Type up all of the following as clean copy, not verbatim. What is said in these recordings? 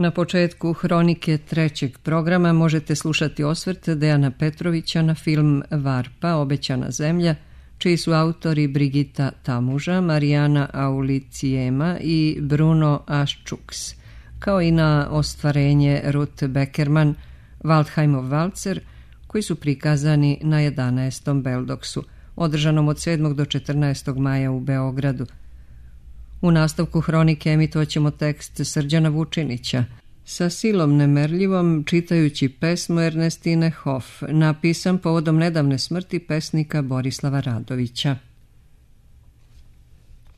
Na početku hronike trećeg programa možete slušati osvrt Dejana Petrovića na film Varpa, obećana zemlja, čiji su autori Brigitta Tamuža, Marijana Aulicijema i Bruno Aščuks, kao i na ostvarenje Ruth Beckerman, Waldheimov valcer, koji su prikazani na 11. Beldoksu, održanom od 7. do 14. maja u Beogradu. U nastavku hronike emitovat ćemo tekst Srđana Vučinića sa silom nemerljivom, čitajući pesmu Ernestine Hoff, napisan povodom nedavne smrti pesnika Borislava Radovića.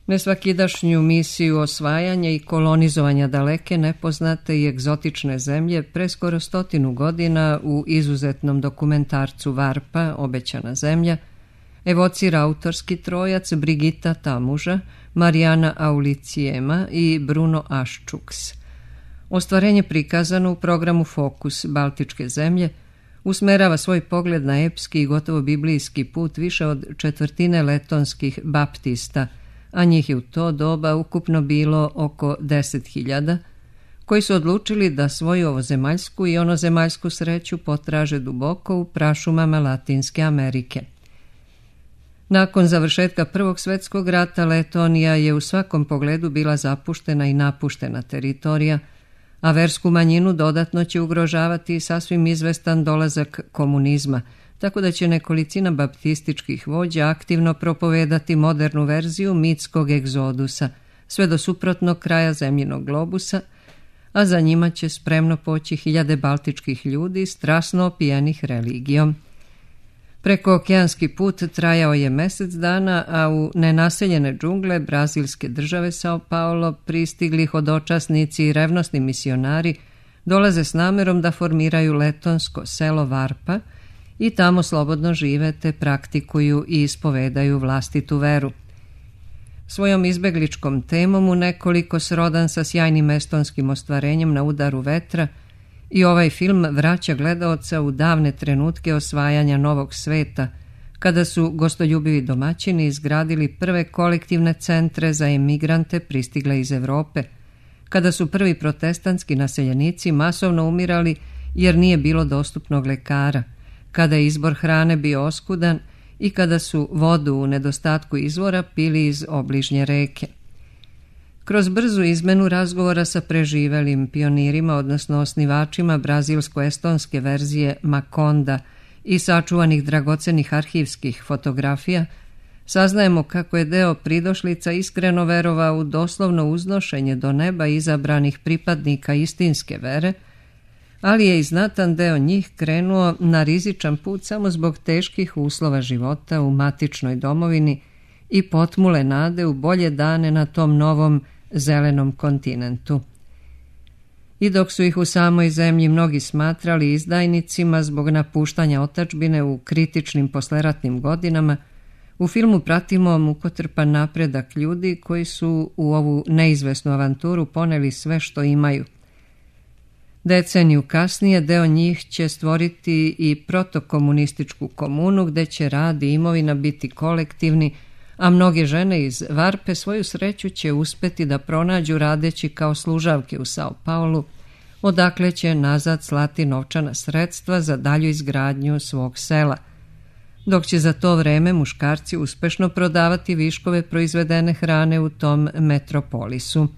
Nesvakidašnju misiju osvajanja i kolonizovanja daleke, nepoznate i egzotične zemlje preskoro 100 godina u izuzetnom dokumentarcu Varpa, obećana zemlja, evocira autorski trojac Brigitta Tamuža, Marijana Aulicijema i Bruno Aščuks. Ostvarenje prikazano u programu Fokus Baltičke zemlje usmerava svoj pogled na epski i gotovo biblijski put više od četvrtine letonskih baptista, a njih je u to doba ukupno bilo oko 10.000, koji su odlučili da svoju ovozemaljsku i onozemaljsku sreću potraže duboko u prašumama Latinske Amerike. Nakon završetka Prvog svjetskog rata Letonija je u svakom pogledu bila zapuštena i napuštena teritorija, a versku manjinu dodatno će ugrožavati sasvim izvestan dolazak komunizma, tako da će nekolicina baptističkih vođa aktivno propovedati modernu verziju mitskog egzodusa, sve do suprotnog kraja zemljinog globusa, a za njima će spremno poći hiljade baltičkih ljudi strasno opijenih religijom. Prekookeanski put trajao je mjesec dana, a u nenaseljene džungle brazilske države Sao Paulo pristigli hodočasnici i revnosni misionari dolaze s namerom da formiraju letonsko selo Varpa i tamo slobodno žive te praktikuju i ispovedaju vlastitu veru. Svojom izbegličkom temom u nekoliko srodan sa sjajnim estonskim ostvarenjem Na udaru vetra, i ovaj film vraća gledaoca u davne trenutke osvajanja novog sveta, kada su gostoljubivi domaćini izgradili prve kolektivne centre za emigrante pristigle iz Europe, kada su prvi protestantski naseljenici masovno umirali jer nije bilo dostupnog lekara, kada je izbor hrane bio oskudan i kada su vodu u nedostatku izvora pili iz obližnje reke. Kroz brzu izmenu razgovora sa preživelim pionirima, odnosno osnivačima brazilsko-estonske verzije Makonda i sačuvanih dragocenih arhivskih fotografija, saznajemo kako je deo pridošlica iskreno verovao u doslovno uznošenje do neba izabranih pripadnika istinske vere, ali je i znatan deo njih krenuo na rizičan put samo zbog teških uslova života u matičnoj domovini i potmule nade u bolje dane na tom novom zelenom kontinentu. I dok su ih u samoj zemlji mnogi smatrali izdajnicima zbog napuštanja otadžbine u kritičnim posleratnim godinama, u filmu pratimo mukotrpan napredak ljudi koji su u ovu neizvesnu avanturu poneli sve što imaju. Deceniju kasnije deo njih će stvoriti i protokomunističku komunu gde će rad i imovina biti kolektivni, a mnoge žene iz Varpe svoju sreću će uspeti da pronađu radeći kao služavke u Sao Paulu, odakle će nazad slati novčana sredstva za dalju izgradnju svog sela, dok će za to vreme muškarci uspešno prodavati viškove proizvedene hrane u tom metropolisu.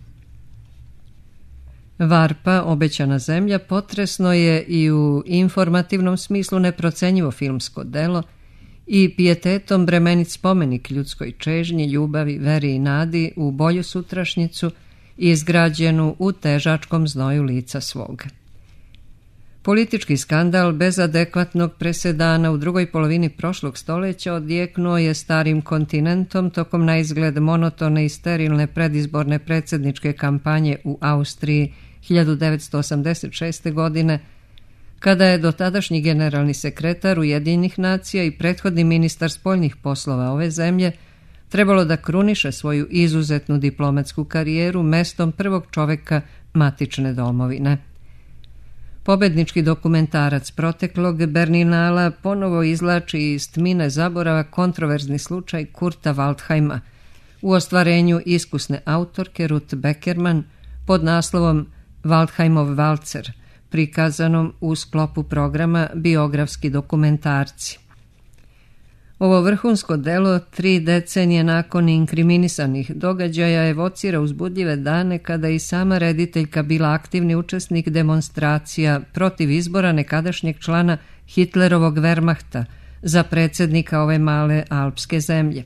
Varpa, obećana zemlja, potresno je i u informativnom smislu neprocenjivo filmsko delo i pijetetom bremenit spomenik ljudskoj čežnji, ljubavi, veri i nadi u bolju sutrašnjicu izgrađenu u težačkom znoju lica svog. Politički skandal bez adekvatnog presedana u drugoj polovini prošlog stoljeća odjeknuo je starim kontinentom tokom na izgled monotone i sterilne predizborne predsjedničke kampanje u Austriji 1986. godine, kada je dotadašnji generalni sekretar Ujedinjenih nacija i prethodni ministar spoljnih poslova ove zemlje trebalo da kruniše svoju izuzetnu diplomatsku karijeru mestom prvog čoveka matične domovine. Pobednički dokumentarac proteklog Berninala ponovo izvlači iz tmine zaborava kontroverzni slučaj Kurta Waldheima u ostvarenju iskusne autorke Ruth Beckerman pod naslovom Waldheimov valcer, prikazanom u sklopu programa Biografski dokumentarci. Ovo vrhunsko delo 3 decenije nakon inkriminisanih događaja evocira uzbudljive dane kada i sama rediteljka bila aktivni učesnik demonstracija protiv izbora nekadašnjeg člana Hitlerovog Wehrmachta za predsjednika ove male alpske zemlje.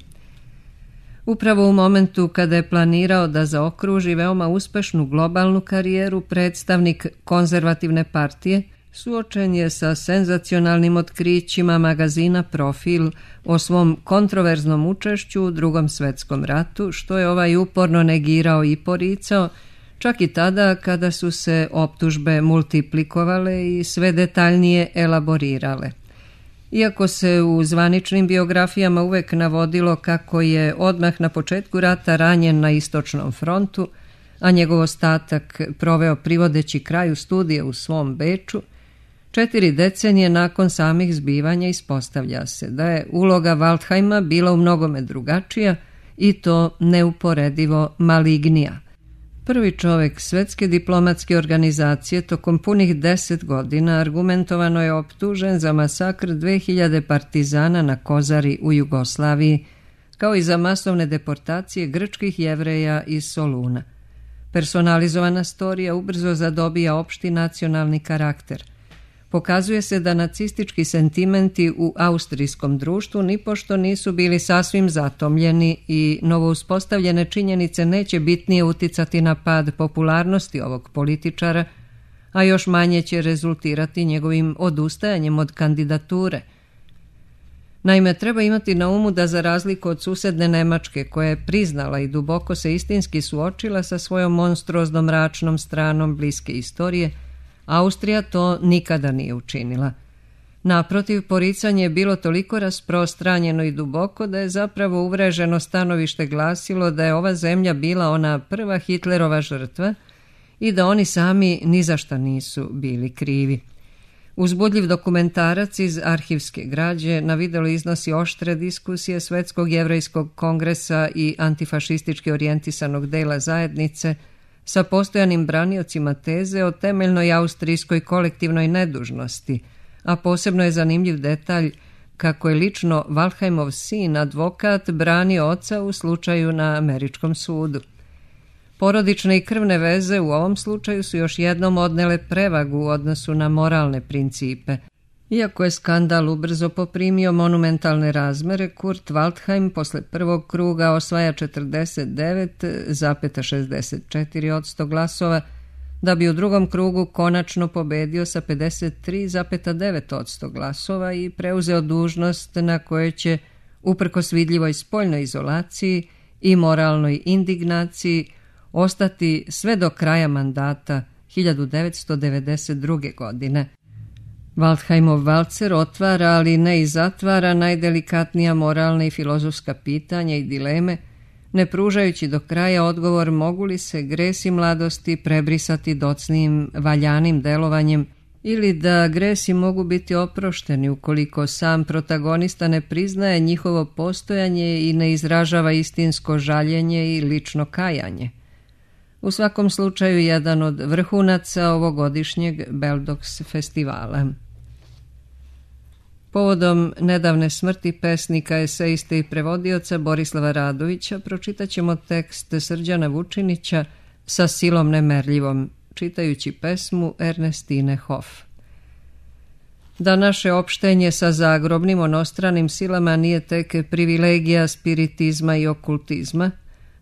Upravo u momentu kada je planirao da zaokruži veoma uspešnu globalnu karijeru, predstavnik konzervativne partije suočen je sa senzacionalnim otkrićima magazina Profil o svom kontroverznom učešću u Drugom svetskom ratu, što je ovaj uporno negirao i poricao, čak i tada kada su se optužbe multiplikovale i sve detaljnije elaborirale. Iako se u zvaničnim biografijama uvek navodilo kako je odmah na početku rata ranjen na istočnom frontu, a njegov ostatak proveo privodeći kraju studije u svom Beču, 4 decenije nakon samih zbivanja ispostavlja se da je uloga Waldheima bila u mnogome drugačija i to neuporedivo malignija. Prvi čovjek Svetske diplomatske organizacije tokom punih 10 godina argumentovano je optužen za masakr 2000 partizana na Kozari u Jugoslaviji, kao i za masovne deportacije grčkih Jevreja iz Soluna. Personalizovana storija ubrzo zadobija opšti nacionalni karakter. Pokazuje se da nacistički sentimenti u austrijskom društvu nipošto nisu bili sasvim zatomljeni i novouspostavljene činjenice neće bitnije uticati na pad popularnosti ovog političara, a još manje će rezultirati njegovim odustajanjem od kandidature. Naime, treba imati na umu da za razliku od susedne Nemačke, koja je priznala i duboko se istinski suočila sa svojom monstruoznom mračnom stranom bliske istorije, Austrija to nikada nije učinila. Naprotiv, poricanje je bilo toliko rasprostranjeno i duboko da je zapravo uvreženo stanovište glasilo da je ova zemlja bila ona prva Hitlerova žrtva i da oni sami ni za šta nisu bili krivi. Uzbudljiv dokumentarac iz arhivske građe na videu iznosi oštre diskusije Svetskog jevrejskog kongresa i antifašistički orijentisanog dela zajednice sa postojanim braniocima teze o temeljnoj austrijskoj kolektivnoj nedužnosti, a posebno je zanimljiv detalj kako je lično Waldheimov sin, advokat, branio oca u slučaju na američkom sudu. Porodične i krvne veze u ovom slučaju su još jednom odnele prevagu u odnosu na moralne principe. Iako je skandal ubrzo poprimio monumentalne razmere, Kurt Waldheim posle prvog kruga osvaja 49,64% glasova, da bi u drugom krugu konačno pobedio sa 53,9% glasova i preuzeo dužnost na kojoj će, uprkos vidljivoj spoljnoj izolaciji i moralnoj indignaciji, ostati sve do kraja mandata 1992. godine. Waldheimov valcer otvara, ali ne i zatvara najdelikatnija moralna i filozofska pitanja i dileme, ne pružajući do kraja odgovor mogu li se gresi mladosti prebrisati docnijim valjanim delovanjem ili da gresi mogu biti oprošteni ukoliko sam protagonista ne priznaje njihovo postojanje i ne izražava istinsko žaljenje i lično kajanje. U svakom slučaju jedan od vrhunaca ovogodišnjeg Beldox festivala. Povodom nedavne smrti pesnika, eseiste i prevodioca Borislava Radovića pročitat ćemo tekst Srđana Vučinića Sa silom nemerljivom, čitajući pesmu Ernestine Hoff. Da naše opštenje sa zagrobnim onostranim silama nije tek privilegija spiritizma i okultizma,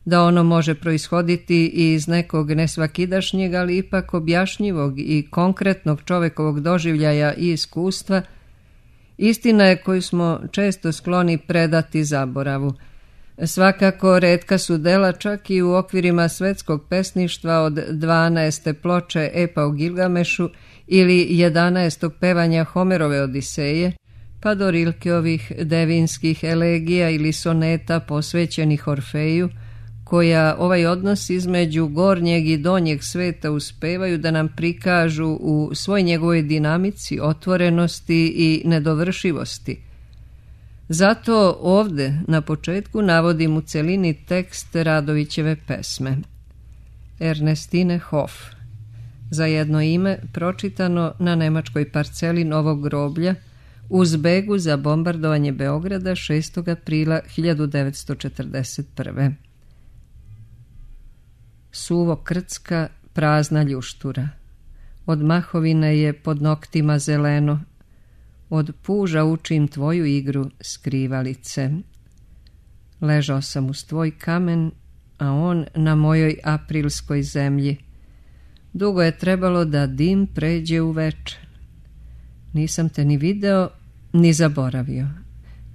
da ono može proishoditi i iz nekog nesvakidašnjeg, ali ipak objašnjivog i konkretnog čovekovog doživljaja i iskustva, istina je koju smo često skloni predati zaboravu. Svakako retka su dela čak i u okvirima svetskog pesništva od 12. ploče Epa o Gilgamešu ili 11. pevanja Homerove Odiseje, pa do Rilkeovih devinskih elegija ili soneta posvećenih Orfeju, koja ovaj odnos između gornjeg i donjeg sveta uspevaju da nam prikažu u svoj njegovoj dinamici, otvorenosti i nedovršivosti. Zato ovde na početku navodim u celini tekst Radovićeve pesme. Ernestine Hoff. za jedno ime pročitano na nemačkoj parceli Novog groblja u zbegu za bombardovanje Beograda 6. aprila 1941. Suvo krcka, prazna ljuštura. Od mahovine je pod noktima zeleno, od puža učim tvoju igru skrivalice. Ležao sam uz tvoj kamen, a on na mojoj aprilskoj zemlji. Dugo je trebalo da dim pređe u veče. Nisam te ni video, ni zaboravio.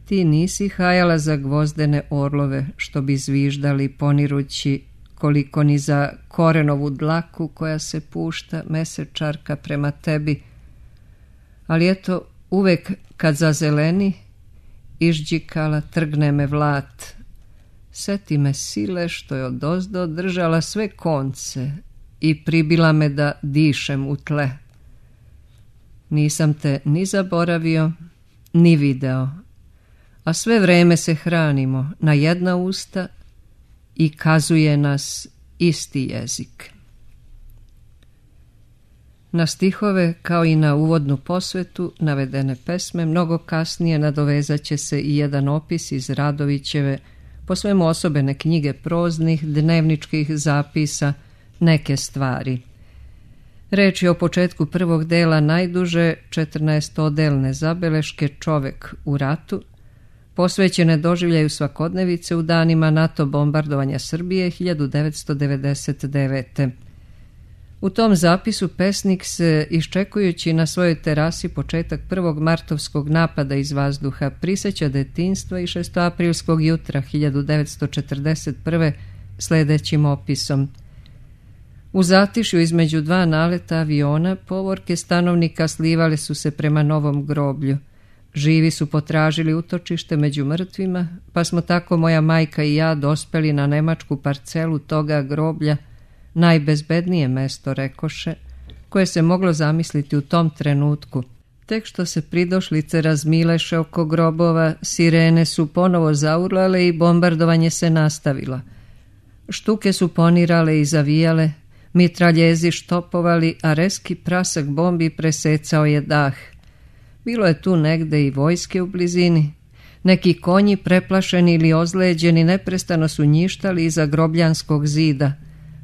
Ti nisi hajala za gvozdene orlove, što bi zviždali ponirući, koliko ni za korenovu dlaku koja se pušta mesečarka prema tebi. Ali eto, uvek kad zazeleni, išđikala trgne me vlat. Seti me sile što je odozdo držala sve konce i pribila me da dišem u tle. Nisam te ni zaboravio, ni video, a sve vreme se hranimo na jedna usta i kazuje nas isti jezik. Na stihove, kao i na uvodnu posvetu, navedene pesme, mnogo kasnije nadovezat će se i jedan opis iz Radovićeve, po svemu osobene knjige proznih, dnevničkih zapisa, Neke stvari. Reč je o početku prvog dela najduže 14-odelne zabeleške Čovek u ratu, posvećene doživljaju svakodnevice u danima NATO bombardovanja Srbije 1999. U tom zapisu pesnik se, iščekujući na svojoj terasi početak prvog martovskog napada iz vazduha, priseća detinjstva i šestoaprilskog jutra 1941. sljedećim opisom. U zatišju između dva naleta aviona povorke stanovnika slivale su se prema Novom groblju. Živi su potražili utočište među mrtvima, pa smo tako moja majka i ja dospeli na nemačku parcelu toga groblja, najbezbednije mesto, rekoše, koje se moglo zamisliti u tom trenutku. Tek što se pridošlice razmileše oko grobova, sirene su ponovo zaurlale i bombardovanje se nastavilo. Štuke su ponirale i zavijale, mitraljezi štopovali, a reski prasak bombi presecao je dah. Bilo je tu negde i vojske u blizini. Neki konji, preplašeni ili ozleđeni, neprestano su njištali iza grobljanskog zida,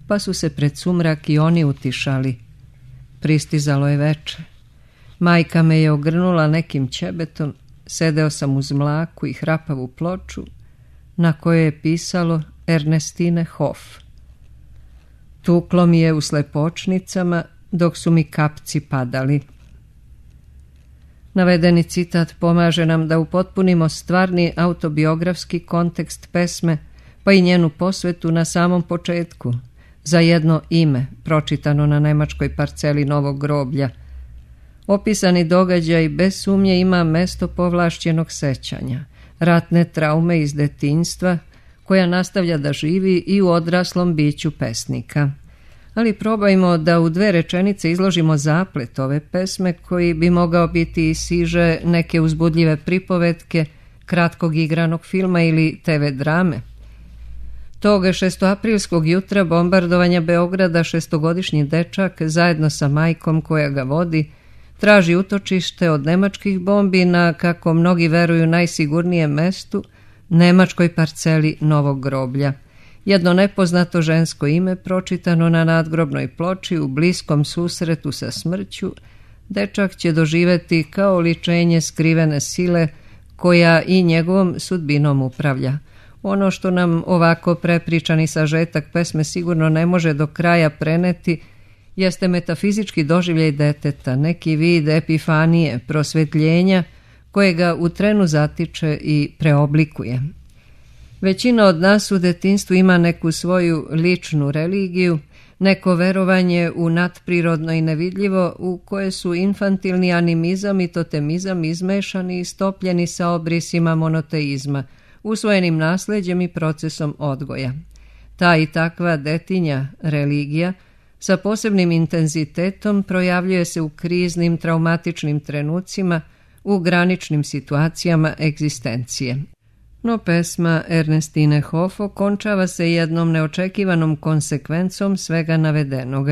pa su se pred sumrak i oni utišali. Pristizalo je veče. Majka me je ogrnula nekim ćebetom, sedeo sam uz mlaku i hrapavu ploču, na kojoj je pisalo Ernestine Hof. Tuklo mi je u slepočnicama, dok su mi kapci padali. Navedeni citat pomaže nam da upotpunimo stvarni autobiografski kontekst pesme, pa i njenu posvetu na samom početku, za jedno ime, pročitano na nemačkoj parceli Novog groblja. Opisani događaj bez sumnje ima mesto povlašćenog sećanja, ratne traume iz detinjstva, koja nastavlja da živi i u odraslom biću pesnika. Ali probajmo da u 2 rečenice izložimo zaplet ove pesme, koji bi mogao biti i siže neke uzbudljive pripovetke, kratkog igranog filma ili TV drame. Tog 6-aprilskog jutra bombardovanja Beograda 6-godišnji dečak, zajedno sa majkom koja ga vodi, traži utočište od nemačkih bombi na, kako mnogi veruju, najsigurnijem mestu, nemačkoj parceli Novog groblja. Jedno nepoznato žensko ime pročitano na nadgrobnoj ploči u bliskom susretu sa smrću, dečak će doživeti kao oličenje skrivene sile koja i njegovom sudbinom upravlja. Ono što nam ovako prepričani sažetak pesme sigurno ne može do kraja preneti jeste metafizički doživljaj deteta, neki vid epifanije, prosvetljenja koje ga u trenu zatiče i preoblikuje. Većina od nas u detinjstvu ima neku svoju ličnu religiju, neko verovanje u nadprirodno i nevidljivo u koje su infantilni animizam i totemizam izmešani i stopljeni sa obrisima monoteizma, usvojenim nasleđem i procesom odgoja. Ta i takva detinja religija sa posebnim intenzitetom projavljuje se u kriznim, traumatičnim trenucima, u graničnim situacijama egzistencije. No pesma Ernestine Hof okončava se jednom neočekivanom konsekvencom svega navedenog.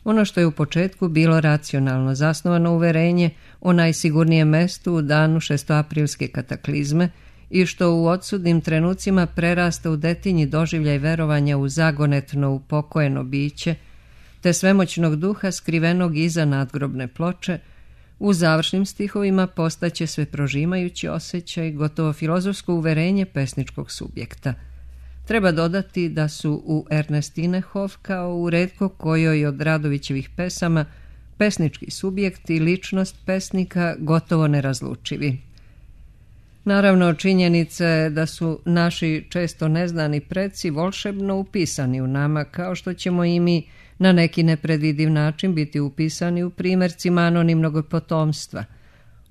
Ono što je u početku bilo racionalno zasnovano uverenje o najsigurnijem mestu u danu šestoaprilske kataklizme i što u odsudnim trenucima prerasta u detinji doživljaj verovanja u zagonetno upokojeno biće, te svemoćnog duha skrivenog iza nadgrobne ploče, u završnim stihovima postaće sve prožimajući osjećaj, gotovo filozofsko uverenje pesničkog subjekta. Treba dodati da su u Ernestine Hof, kao u retko kojoj od Radovićevih pesama, pesnički subjekt i ličnost pesnika gotovo nerazlučivi. Naravno, činjenica je da su naši često neznani preci volšebno upisani u nama, kao što ćemo i mi na neki nepredvidiv način biti upisani u primjercima anonimnog potomstva.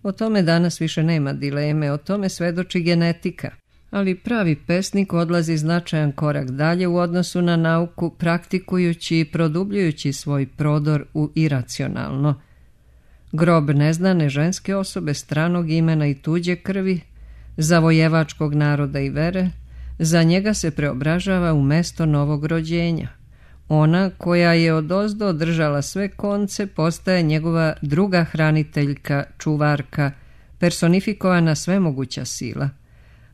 O tome danas više nema dileme, o tome svedoči genetika. Ali pravi pesnik odlazi značajan korak dalje u odnosu na nauku, praktikujući i produbljujući svoj prodor u iracionalno. Grob neznane ženske osobe stranog imena i tuđe krvi, zavojevačkog naroda i vere, za njega se preobražava u mesto novog rođenja. Ona koja je odozdo održala sve konce postaje njegova druga hraniteljka, čuvarka, personifikovana svemoguća sila,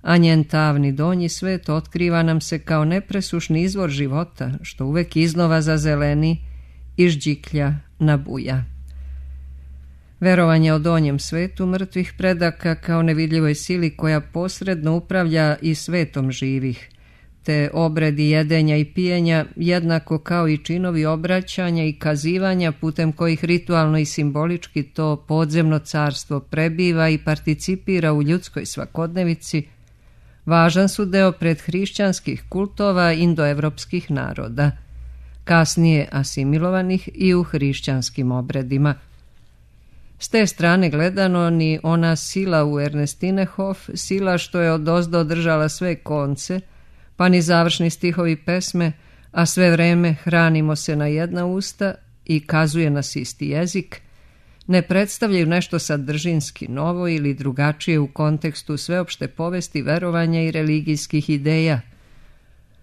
a njen tavni donji svet otkriva nam se kao nepresušni izvor života, što uvek iznova zazeleni i žđiklja nabuja. Verovanje o donjem svetu mrtvih predaka kao nevidljivoj sili koja posredno upravlja i svetom živih, te obredi jedenja i pijenja, jednako kao i činovi obraćanja i kazivanja putem kojih ritualno i simbolički to podzemno carstvo prebiva i participira u ljudskoj svakodnevici, važan su deo predhrišćanskih kultova indoevropskih naroda, kasnije asimilovanih i u hrišćanskim obredima. S te strane gledano, ni ona sila u Ernestine Hof, sila što je odozdo održala sve konce, pa ni završni stihovi pesme, a sve vreme hranimo se na jedna usta i kazuje nas isti jezik, ne predstavljaju nešto sadržinski novo ili drugačije u kontekstu sveopšte povesti verovanja i religijskih ideja.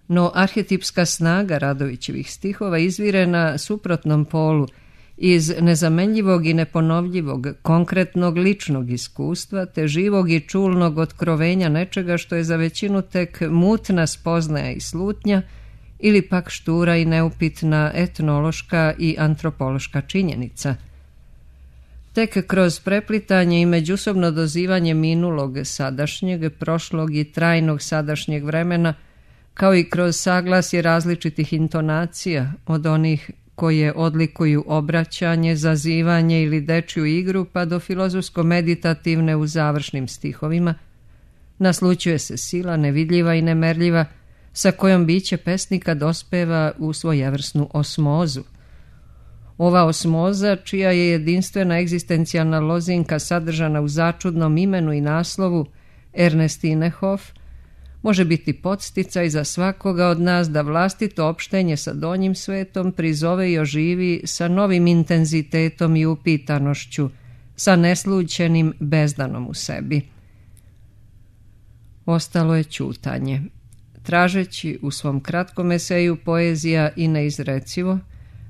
No arhetipska snaga Radovićevih stihova izvire na suprotnom polu, iz nezamenljivog i neponovljivog, konkretnog ličnog iskustva, te živog i čulnog otkrovenja nečega što je za većinu tek mutna spoznaja i slutnja, ili pak štura i neupitna etnološka i antropološka činjenica. Tek kroz preplitanje i međusobno dozivanje minulog sadašnjeg, prošlog i trajnog sadašnjeg vremena, kao i kroz saglasje različitih intonacija od onih koje odlikuju obraćanje, zazivanje ili dečju igru, pa do filozofsko-meditativne u završnim stihovima, naslućuje se sila nevidljiva i nemerljiva sa kojom biće pesnika dospeva u svojevrsnu osmozu. Ova osmoza, čija je jedinstvena egzistencijalna lozinka sadržana u začudnom imenu i naslovu Ernestine Hof, može biti podsticaj za svakoga od nas da vlastito opštenje sa donjim svetom prizove i oživi sa novim intenzitetom i upitanošću, sa neslućenim bezdanom u sebi. Ostalo je ćutanje. Tražeći u svom kratkom eseju Poezija i neizrecivo,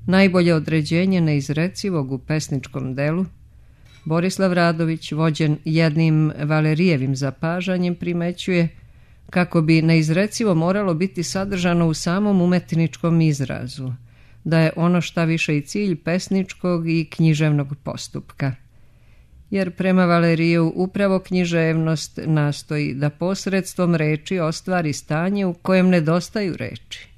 najbolje određenje neizrecivog u pesničkom delu, Borislav Radović, vođen jednim Valerijevim zapažanjem, primećuje kako bi neizrecivo moralo biti sadržano u samom umetničkom izrazu, da je ono šta više i cilj pesničkog i književnog postupka. Jer prema Valeriju upravo književnost nastoji da posredstvom reči ostvari stanje u kojem nedostaju reči.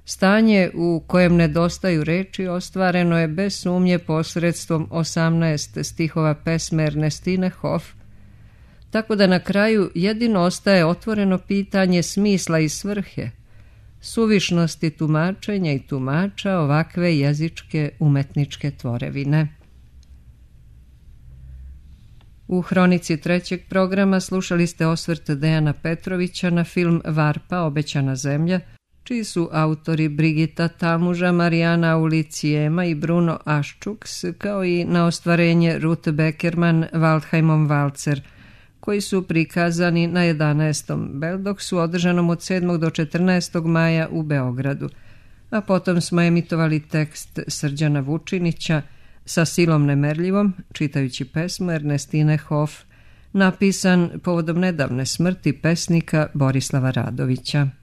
Stanje u kojem nedostaju reči ostvareno je bez sumnje posredstvom 18 stihova pesme Ernestine Hof, tako da na kraju jedino ostaje otvoreno pitanje smisla i svrhe, suvišnosti tumačenja i tumača ovakve jezičke umetničke tvorevine. U hronici trećeg programa slušali ste osvrt Dejana Petrovića na film Varpa, obećana zemlja, čiji su autori Brigita Tamuža, Marijana Aulicijema i Bruno Aščuks, kao i na ostvarenje Ruth Beckerman, Waldheimom Valcer, koji su prikazani na 11. Beldoksu održanom od 7. do 14. maja u Beogradu. a potom smo emitovali tekst Srđana Vučinića Sa silom nemerljivom, čitajući pesmu Ernestine Hof, napisan povodom nedavne smrti pesnika Borislava Radovića.